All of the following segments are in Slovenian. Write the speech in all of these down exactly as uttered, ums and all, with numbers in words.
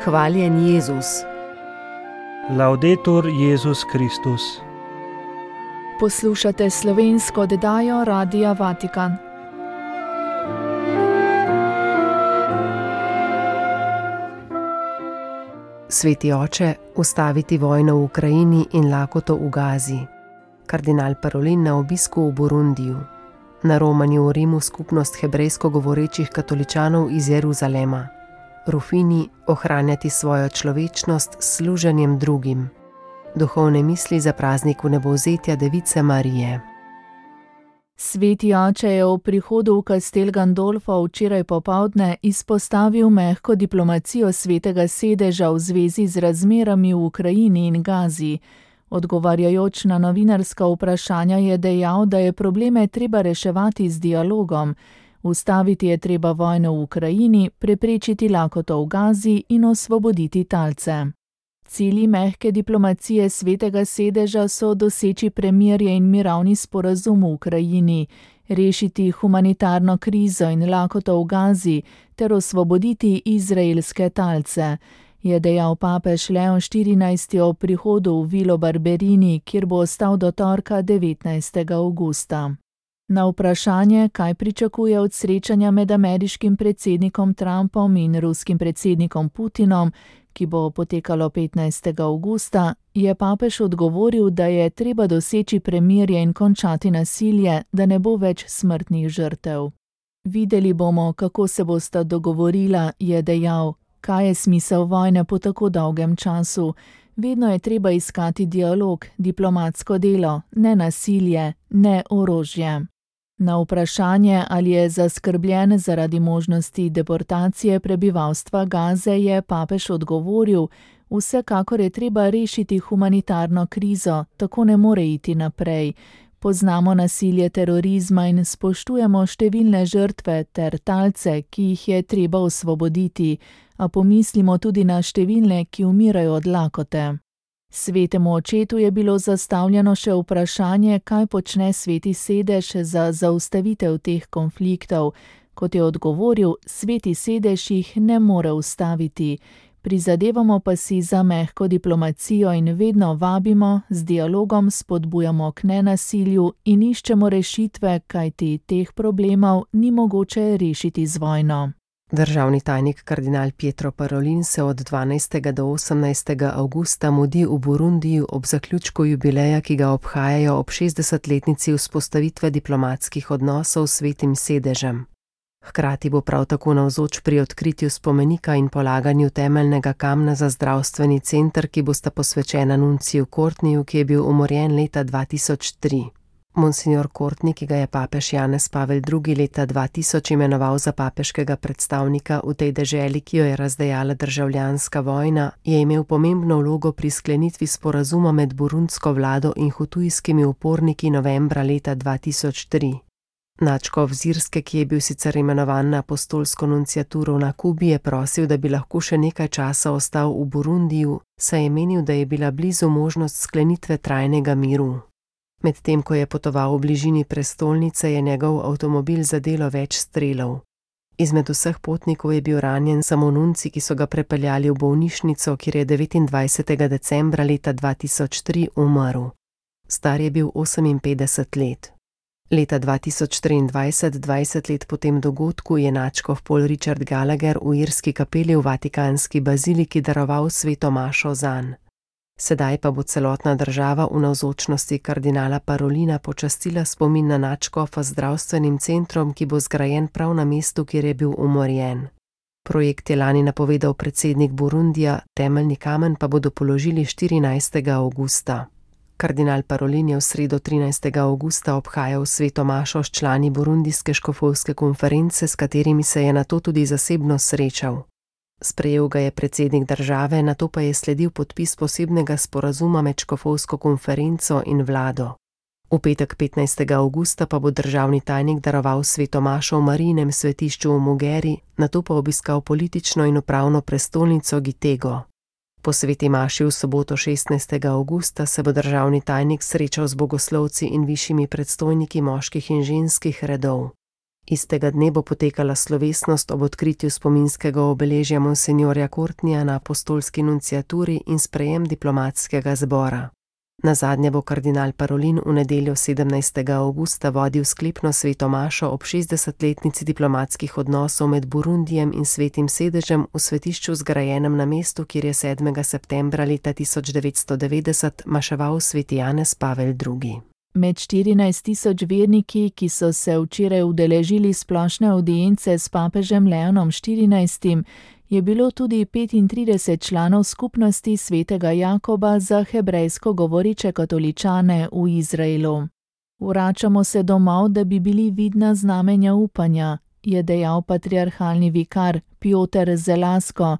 Hvaljen Jezus. Laudetur Jezus Kristus. Poslušate slovensko oddajo Radia Vatikan. Sveti oče, ustaviti vojno v Ukrajini in lakoto v Gazi. Kardinal Parolin na obisku v Burundiju. Na romanju v Rimu skupnost hebrejsko govorečih katoličanov iz Jeruzalema. Rufini, ohranjati svojo človečnost s služenjem drugim. Duhovne misli za praznik vnebovzetja Device Marije. Sveti oče je ob prihodu v Castel Gandolfo včeraj popoldne izpostavil mehko diplomacijo svetega sedeža v zvezi z razmerami v Ukrajini in Gazi. Odgovarjajoč na novinarska vprašanja je dejal, da je probleme treba reševati z dialogom. Ustaviti je treba vojno v Ukrajini, preprečiti lakoto v Gazi in osvoboditi talce. Cilji mehke diplomacije svetega sedeža so doseči premirje in mirovni sporazum v Ukrajini, rešiti humanitarno krizo in lakoto v Gazi ter osvoboditi izraelske talce, je dejal papež Leon štirinajsti ob prihodu v Vilo Barberini, kjer bo ostal do torka devetnajstega avgusta. Na vprašanje, kaj pričakuje od srečanja med ameriškim predsednikom Trumpom in ruskim predsednikom Putinom, ki bo potekalo petnajstega avgusta, je papež odgovoril, da je treba doseči premirje in končati nasilje, da ne bo več smrtnih žrtev. Videli bomo, kako se bosta dogovorila, je dejal, kaj je smisel vojne po tako dolgem času. Vedno je treba iskati dialog, diplomatsko delo, ne nasilje, ne orožje. Na vprašanje, ali je zaskrbljen zaradi možnosti deportacije prebivalstva Gaze, je papež odgovoril, vsekakor je treba rešiti humanitarno krizo, tako ne more iti naprej. Poznamo nasilje terorizma in spoštujemo številne žrtve ter talce, ki jih je treba osvoboditi, a pomislimo tudi na številne, ki umirajo od lakote. Svetemu očetu je bilo zastavljeno še vprašanje, kaj počne sveti sedež za zaustavitev teh konfliktov. Kot je odgovoril, sveti sedež jih ne more ustaviti. Prizadevamo pa si za mehko diplomacijo in vedno vabimo, z dialogom spodbujamo k nenasilju in iščemo rešitve, kajti teh problemov ni mogoče rešiti z vojno. Državni tajnik kardinal Pietro Parolin se od dvanajstega do osemnajstega avgusta mudi v Burundiju ob zaključku jubileja, ki ga obhajajo ob šestdesetletnici vzpostavitve diplomatskih odnosov s svetim sedežem. Hkrati bo prav tako navzoč pri odkritju spomenika in polaganju temeljnega kamna za zdravstveni center, ki bosta posvečena nunciju Courtneyju, ki je bil umorjen leta dva tisoč tri. Monsignor Courtney, ki ga je papež Janez Pavel drugi leta dva tisoč imenoval za papeškega predstavnika v tej deželi, ki jo je razdejala državljanska vojna, je imel pomembno vlogo pri sklenitvi sporazuma med burundsko vlado in hutujskimi uporniki novembra leta dva tisoč tri. Nadškof Zirske, ki je bil sicer imenovan na apostolsko nunciaturo na Kubi, je prosil, da bi lahko še nekaj časa ostal v Burundiju, saj je menil, da je bila blizu možnost sklenitve trajnega miru. Medtem ko je potoval v bližini prestolnice, je njegov avtomobil zadelo več strelov. Izmed vseh potnikov je bil ranjen samo nunci, ki so ga prepeljali v bolnišnico, kjer je devetindvajsetega decembra leta dva tisoč tri umrl. Star je bil oseminpetdeset let. Leta dva tisoč triindvajset, dvajset let po tem dogodku, je nadškof Paul Richard Gallagher v irski kapeli v vatikanski baziliki daroval sveto mašo zanj. Sedaj pa bo celotna država v navzočnosti kardinala Parolina počastila spomin na nadškofa z zdravstvenim centrom, ki bo zgrajen prav na mestu, kjer je bil umorjen. Projekt je lani napovedal predsednik Burundija, temeljni kamen pa bodo položili štirinajstega avgusta. Kardinal Parolin je v sredo trinajstega avgusta obhajal sveto mašo s člani burundijske škofovske konference, s katerimi se je nato tudi zasebno srečal. Sprejel ga je predsednik države, nato pa je sledil podpis posebnega sporazuma med škofovsko konferenco in vlado. V petek petnajstega avgusta pa bo državni tajnik daroval sveto mašo v Marijinem svetišču v Mugeri, nato pa obiskal politično in upravno prestolnico Gitego. Po sveti maši v soboto šestnajstega avgusta se bo državni tajnik srečal z bogoslovci in višjimi predstojniki moških in ženskih redov. Istega dne bo potekala slovesnost ob odkritju spominskega obeležja monsinjorja Courtneyja na apostolski nunciaturi in sprejem diplomatskega zbora. Nazadnje bo kardinal Parolin v nedeljo sedemnajstega avgusta vodil sklepno sveto mašo ob šestdesetletnici diplomatskih odnosov med Burundijem in Svetim sedežem v svetišču zgrajenem na mestu, kjer je sedmega septembra leta tisoč devetsto devetdeset maševal sveti Janez Pavel drugi. Med štirinajst tisoč verniki, ki so se včeraj udeležili splošne avdience s papežem Leonom štirinajstim, je bilo tudi petintrideset članov skupnosti svetega Jakoba za hebrejsko govoriče katoličane v Izraelu. Vračamo se domov, da bi bili vidna znamenja upanja, je dejal patriarhalni vikar Pjoter Zelasko,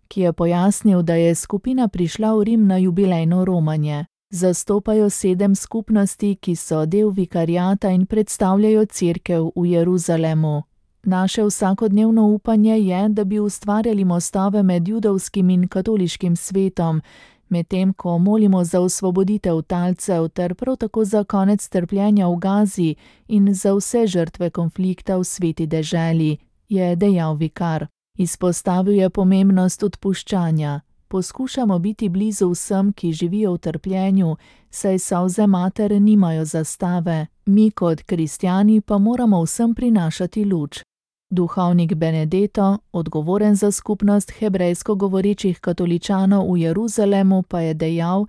ki je pojasnil, da je skupina prišla v Rim na jubilejno romanje. Zastopajo sedem skupnosti, ki so del vikariata in predstavljajo cerkev v Jeruzalemu. Naše vsakodnevno upanje je, da bi ustvarjali mostove med judovskim in katoliškim svetom, medtem ko molimo za osvoboditev talcev ter prav tako za konec trpljenja v Gazi in za vse žrtve konflikta v sveti deželi, je dejal vikar. Izpostavil je pomembnost odpuščanja. Poskušamo biti blizu vsem, ki živijo v trpljenju, saj solze mater nimajo zastave, mi kot kristjani pa moramo vsem prinašati luč. Duhovnik Benedetto, odgovoren za skupnost hebrejsko govorečih katoličanov v Jeruzalemu, pa je dejal,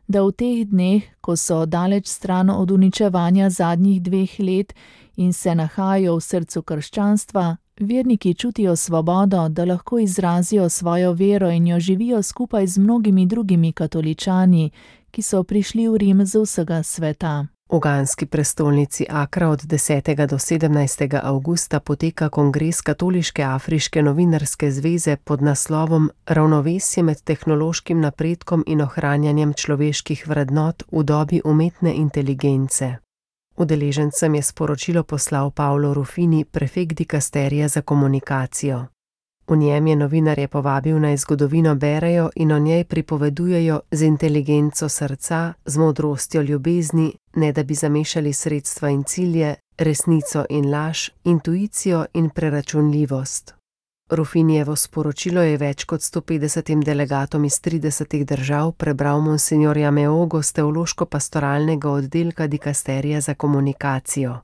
da v teh dneh, ko so daleč stran od uničevanja zadnjih dveh let in se nahajajo v srcu krščanstva, verniki čutijo svobodo, da lahko izrazijo svojo vero in jo živijo skupaj z mnogimi drugimi katoličani, ki so prišli v Rim z vsega sveta. V ganski prestolnici Akra od desetega do sedemnajstega avgusta poteka kongres Katoliške afriške novinarske zveze pod naslovom Ravnovesje med tehnološkim napredkom in ohranjanjem človeških vrednot v dobi umetne inteligence. Udeležencem je sporočilo poslal Paolo Ruffini, prefekt dikasterija za komunikacijo. V njem je novinarje povabil naj zgodovino berejo in o njej pripovedujejo z inteligenco srca, z modrostjo ljubezni, ne da bi zamešali sredstva in cilje, resnico in laž, intuicijo in preračunljivost. Ruffinijevo sporočilo je več kot sto petdesetim delegatom iz tridesetih držav prebral monsinjor Jameogo z teološko-pastoralnega oddelka dikasterija za komunikacijo.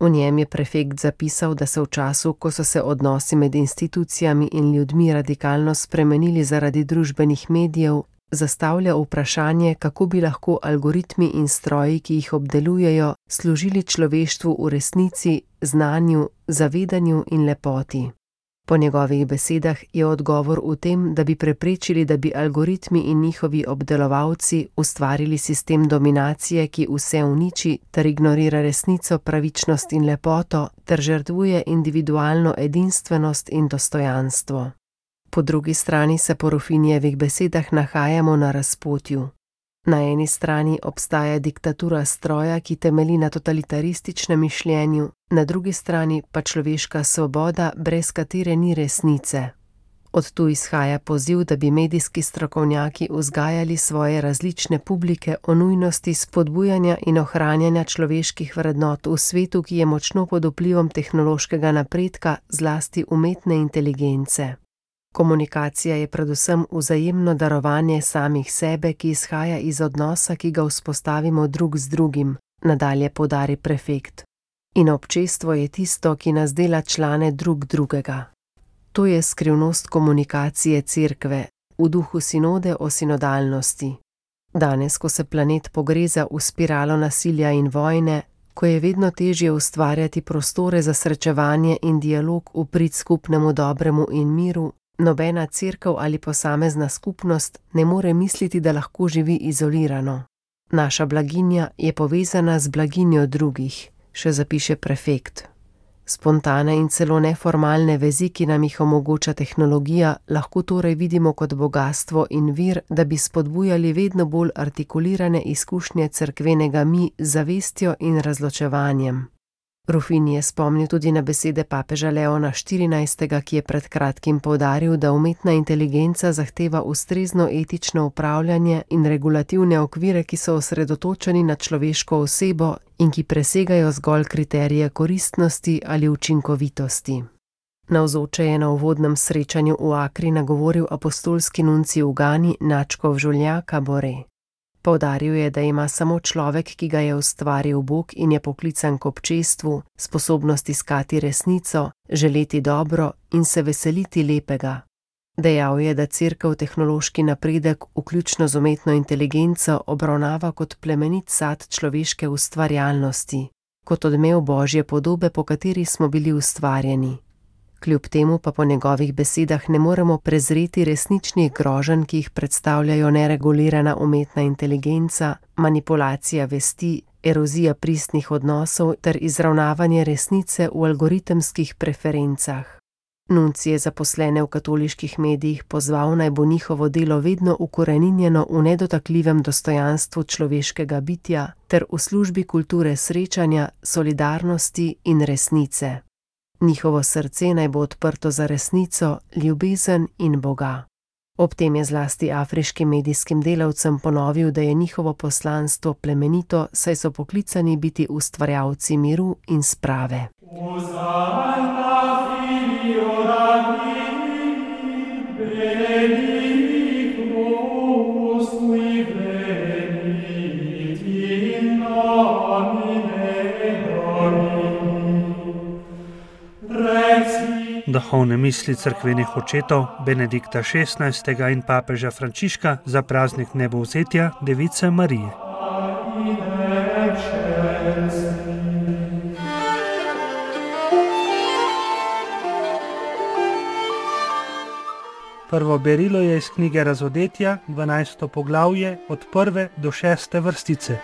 V njem je prefekt zapisal, da se v času, ko so se odnosi med institucijami in ljudmi radikalno spremenili zaradi družbenih medijev, zastavlja vprašanje, kako bi lahko algoritmi in stroji, ki jih obdelujejo, služili človeštvu v resnici, znanju, zavedanju in lepoti. Po njegovih besedah je odgovor v tem, da bi preprečili, da bi algoritmi in njihovi obdelovalci ustvarili sistem dominacije, ki vse uniči ter ignorira resnico, pravičnost in lepoto ter žrtvuje individualno edinstvenost in dostojanstvo. Po drugi strani se po Ruffinijevih besedah nahajamo na razpotju. Na eni strani obstaja diktatura stroja, ki temelji na totalitarističnem mišljenju, na drugi strani pa človeška svoboda, brez katere ni resnice. Od tu izhaja poziv, da bi medijski strokovnjaki vzgajali svoje različne publike o nujnosti spodbujanja in ohranjanja človeških vrednot v svetu, ki je močno pod vplivom tehnološkega napredka, zlasti umetne inteligence. Komunikacija je predvsem vzajemno darovanje samih sebe, ki izhaja iz odnosa, ki ga vzpostavimo drug z drugim, nadalje poudari prefekt. In občestvo je tisto, ki nas dela člane drug drugega. To je skrivnost komunikacije cerkve, v duhu sinode o sinodalnosti. Danes, ko se planet pogreza v spiralo nasilja in vojne, ko je vedno težje ustvarjati prostore za srečevanje in dialog v prid skupnemu dobremu in miru, nobena cerkev ali posamezna skupnost ne more misliti, da lahko živi izolirano. Naša blaginja je povezana z blaginjo drugih, še zapiše prefekt. Spontane in celo neformalne vezi, ki nam jih omogoča tehnologija, lahko torej vidimo kot bogastvo in vir, da bi spodbujali vedno bolj artikulirane izkušnje cerkvenega mi z zavestjo in razločevanjem. Rufini je spomnil tudi na besede papeža Leona štirinajstega, ki je pred kratkim poudaril, da umetna inteligenca zahteva ustrezno etično upravljanje in regulativne okvire, ki so osredotočeni na človeško osebo in ki presegajo zgolj kriterije koristnosti ali učinkovitosti. Navzoče je na uvodnem srečanju v Akri nagovoril apostolski nuncij v Gani Načkov Žuljaka Bore. Poudaril je, da ima samo človek, ki ga je ustvaril Bog in je poklican k občestvu, sposobnost iskati resnico, želeti dobro in se veseliti lepega. Dejal je, da Cerkev tehnološki napredek, vključno z umetno inteligenco, obravnava kot plemenit sad človeške ustvarjalnosti, kot odmev Božje podobe, po kateri smo bili ustvarjeni. Kljub temu pa po njegovih besedah ne moremo prezreti resničnih groženj, ki jih predstavljajo neregulirana umetna inteligenca, manipulacija vesti, erozija pristnih odnosov ter izravnavanje resnice v algoritemskih preferencah. Nuncij je zaposlene v katoliških medijih pozval, naj bo njihovo delo vedno ukoreninjeno v nedotakljivem dostojanstvu človeškega bitja ter v službi kulture srečanja, solidarnosti in resnice. Njihovo srce naj bo odprto za resnico, ljubezen in Boga. Ob tem je zlasti afriškim medijskim delavcem ponovil, da je njihovo poslanstvo plemenito, saj so poklicani biti ustvarjalci miru in sprave. Duhovne misli cerkvenih očetov Benedikta šestnajstega in papeža Frančiška za praznik nebovzetja Device Marije. Prvo berilo je iz knjige Razodetja, dvanajsto poglavje, od prve do šeste vrstice.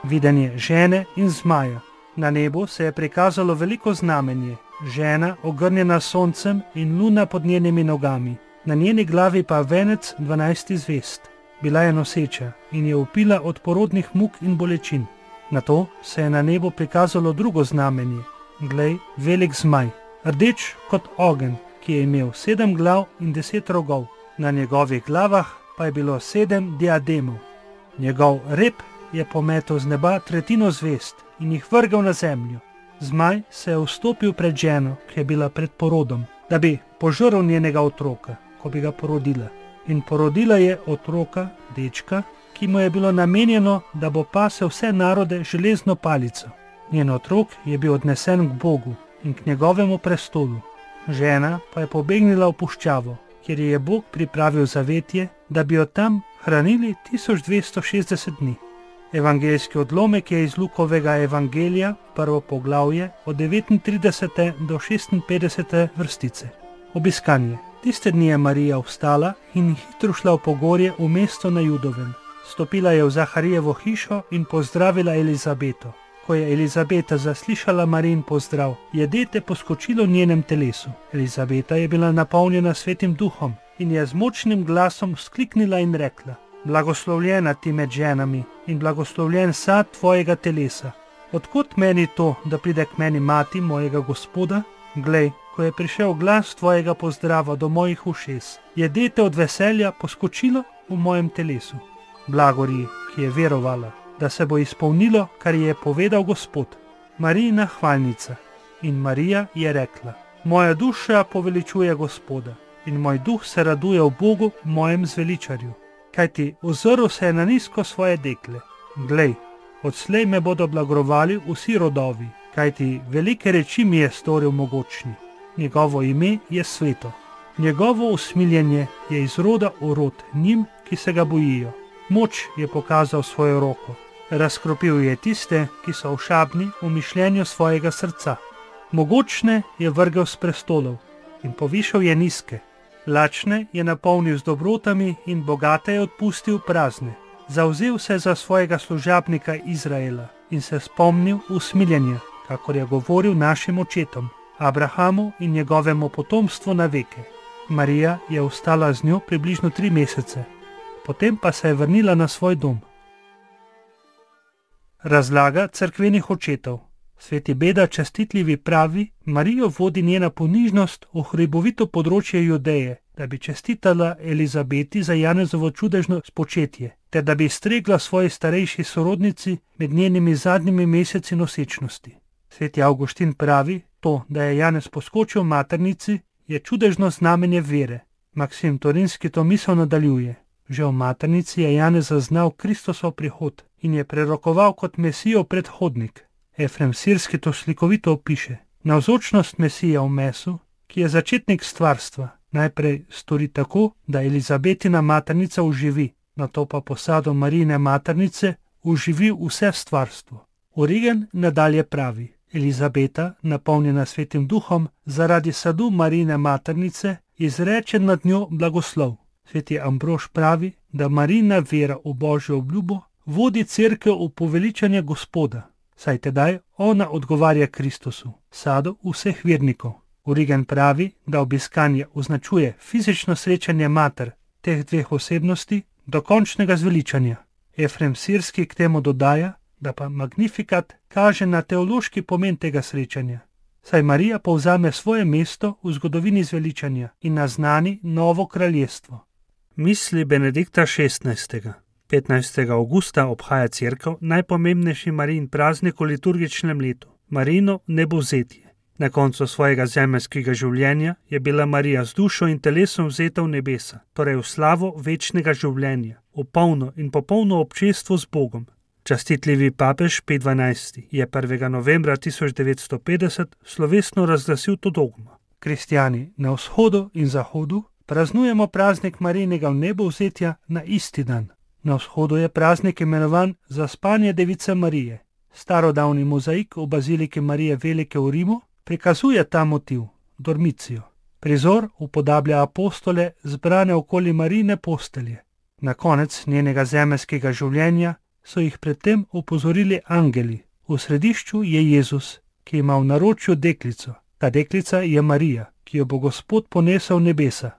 Videnje žene in zmaja. Na nebu se je prikazalo veliko znamenje, žena ogrnjena soncem in luna pod njenimi nogami, na njeni glavi pa venec dvanajstih zvezd. Bila je noseča in je vpila od porodnih muk in bolečin. Nato se je na nebu prikazalo drugo znamenje, glej, velik zmaj, rdeč kot ogenj, ki je imel sedem glav in deset rogov, na njegovih glavah pa je bilo sedem diademov. Njegov rep je pometel z neba tretjino zvezd in jih vrgal na zemljo. Zmaj se je vstopil pred ženo, ki je bila pred porodom, da bi požrl njenega otroka, ko bi ga porodila. In porodila je otroka, dečka, ki mu je bilo namenjeno, da bo pasel vse narode železno palico. Njen otrok je bil odnesen k Bogu in k njegovemu prestolu. Žena pa je pobegnila v puščavo, kjer je Bog pripravil zavetje, da bi jo tam hranili tisoč dvesto šestdeset dni. Evangeljski odlomek je iz Lukovega evangelija, prvo poglavje, od devetintridesete do šestinpetdesete vrstice. Obiskanje. Tiste dni je Marija vstala in hitro šla v pogorje v mesto na Judovem. Stopila je v Zaharijevo hišo in pozdravila Elizabeto. Ko je Elizabeta zaslišala Marijin pozdrav, je dete poskočilo v njenem telesu. Elizabeta je bila napolnjena svetim duhom in je z močnim glasom vzkliknila in rekla: Blagoslovljena ti med ženami in blagoslovljen sad tvojega telesa. Odkot meni to, da pride k meni mati mojega Gospoda? Glej, ko je prišel glas tvojega pozdrava do mojih ušes, je dete od veselja poskočilo v mojem telesu. Blagori, ki je verovala, da se bo izpolnilo, kar je povedal Gospod. Marijina hvalnica. In Marija je rekla: Moja duša poveličuje Gospoda in moj duh se raduje v Bogu, mojem zveličarju. Kajti ozrl se je na nizko svoje dekle. Glej, odslej me bodo blagorovali vsi rodovi, kajti velike reči mi je storil mogočni. Njegovo ime je sveto. Njegovo usmiljenje je iz roda v rod njim, ki se ga bojijo. Moč je pokazal svojo roko. Razkropil je tiste, ki so ošabni v mišljenju svojega srca. Mogočne je vrgel s prestolov in povišal je nizke. Lačne je napolnil z dobrotami in bogate je odpustil prazne. Zavzel se za svojega služabnika Izraela in se spomnil usmiljenja, kakor je govoril našim očetom, Abrahamu in njegovemu potomstvu na veke. Marija je ostala z njo približno tri mesece, potem pa se je vrnila na svoj dom. Razlaga cerkvenih očetov. Sveti Beda častitljivi pravi, Marijo vodi njena ponižnost v hribovito področje Judeje, da bi čestitala Elizabeti za Janezovo čudežno spočetje, ter da bi stregla svoji starejši sorodnici med njenimi zadnjimi meseci nosečnosti. Sveti Avguštin pravi, to, da je Janez poskočil v maternici, je čudežno znamenje vere. Maksim Torinski to misel nadaljuje. Že v maternici je Janez zaznal Kristosov prihod in je prerokoval kot Mesijo predhodnik. Efrem Sirski to slikovito opiše. Navzočnost Mesije v mesu, ki je začetnik stvarstva, najprej stori tako, da Elizabetina maternica uživi, nato pa posado Marijine maternice uživi vse stvarstvo. Origen nadalje pravi, Elizabeta, napolnjena Svetim duhom, zaradi sadu Marijine maternice, izreče nad njo blagoslov. Sveti Ambrož pravi, da Marijina vera v Božjo obljubo vodi cerkev v poveličanje Gospoda, saj tedaj ona odgovarja Kristusu, sadu vseh vernikov. Origen pravi, da obiskanje označuje fizično srečanje mater teh dveh osebnosti do končnega zveličanja. Efrem Sirski k temu dodaja, da pa Magnifikat kaže na teološki pomen tega srečanja, saj Marija povzame svoje mesto v zgodovini zveličanja in naznani novo kraljestvo. Misli Benedikta šestnajstega. petnajstega avgusta obhaja cerkev najpomembnejši Marijin praznik v liturgičnem letu, Marijino nebovzetje. Na koncu svojega zemeljskega življenja je bila Marija z dušo in telesom vzeta v nebesa, torej v slavo večnega življenja, v polno in popolno občestvo z Bogom. Častitljivi papež Pij dvanajsti je prvega novembra tisoč devetsto petdeset slovesno razglasil to dogmo. Kristjani na vzhodu in zahodu praznujemo praznik Marijinega vnebovzetja na isti dan. Na vzhodu je praznik imenovan Zaspanje Device Marije. Starodavni mozaik v baziliki Marije Velike v Rimu prikazuje ta motiv, dormicijo. Prizor upodablja apostole zbrane okoli Marijine postelje. Na konec njenega zemeljskega življenja so jih predtem upozorili angeli. V središču je Jezus, ki ima v naročju deklico. Ta deklica je Marija, ki jo bo Gospod ponesel v nebesa.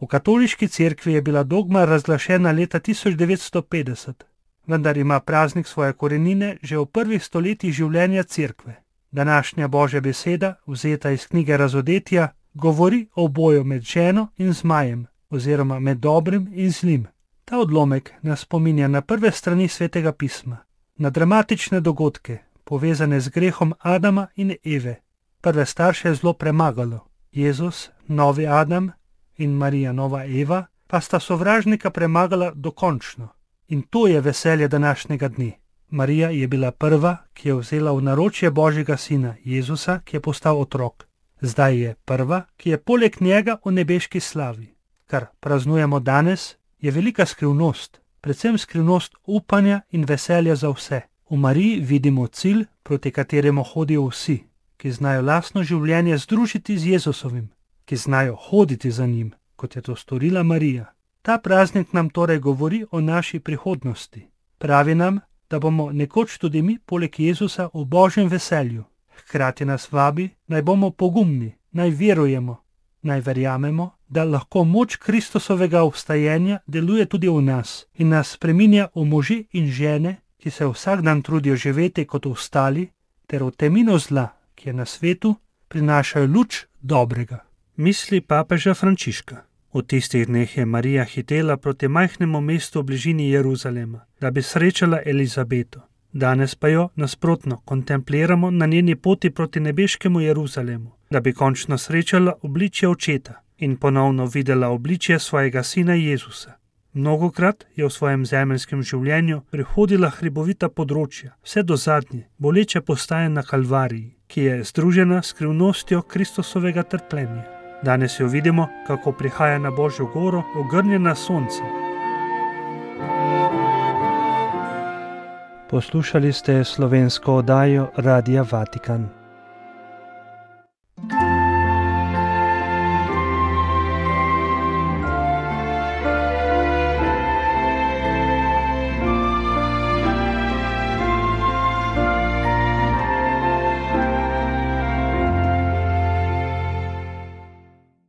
V katoliški cerkvi je bila dogma razglašena leta tisoč devetsto petdeset, vendar ima praznik svoje korenine že v prvih stoletjih življenja cerkve. Današnja Božja beseda, vzeta iz knjige Razodetja, govori o boju med ženo in zmajem, oziroma med dobrim in zlim. Ta odlomek nas spominja na prve strani Svetega pisma, na dramatične dogodke, povezane z grehom Adama in Eve. Prve starše je zlo premagalo. Jezus, novi Adam, in Marija, nova Eva, pa sta sovražnika premagala dokončno. In to je veselje današnjega dne. Marija je bila prva, ki je vzela v naročje Božjega sina, Jezusa, ki je postal otrok. Zdaj je prva, ki je poleg njega v nebeški slavi. Kar praznujemo danes, je velika skrivnost, predvsem skrivnost upanja in veselja za vse. V Mariji vidimo cilj, proti kateremu hodijo vsi, ki znajo lastno življenje združiti z Jezusovim, ki znajo hoditi za njim, kot je to storila Marija. Ta praznik nam torej govori o naši prihodnosti. Pravi nam, da bomo nekoč tudi mi poleg Jezusa v Božjem veselju. Hkrati nas vabi, naj bomo pogumni, naj verujemo, naj verjamemo, da lahko moč Kristusovega obstajenja deluje tudi v nas in nas spreminja v može in žene, ki se vsak dan trudijo živeti kot ostali, ter v temino zla, ki je na svetu, prinašajo luč dobrega. Misli papeža Frančiška. V tistih dneh je Marija hitela proti majhnemu mestu v bližini Jeruzalema, da bi srečala Elizabeto. Danes pa jo, nasprotno, kontempliramo na njeni poti proti nebeškemu Jeruzalemu, da bi končno srečala obličje očeta in ponovno videla obličje svojega sina Jezusa. Mnogokrat je v svojem zemeljskem življenju prehodila hribovita področja, vse do zadnje, boleče postaje na Kalvariji, ki je združena s skrivnostjo Kristusovega trpljenja. Danes jo vidimo, kako prihaja na Božjo goro, ogrnjena sonce. Poslušali ste slovensko oddajo Radia Vatikan.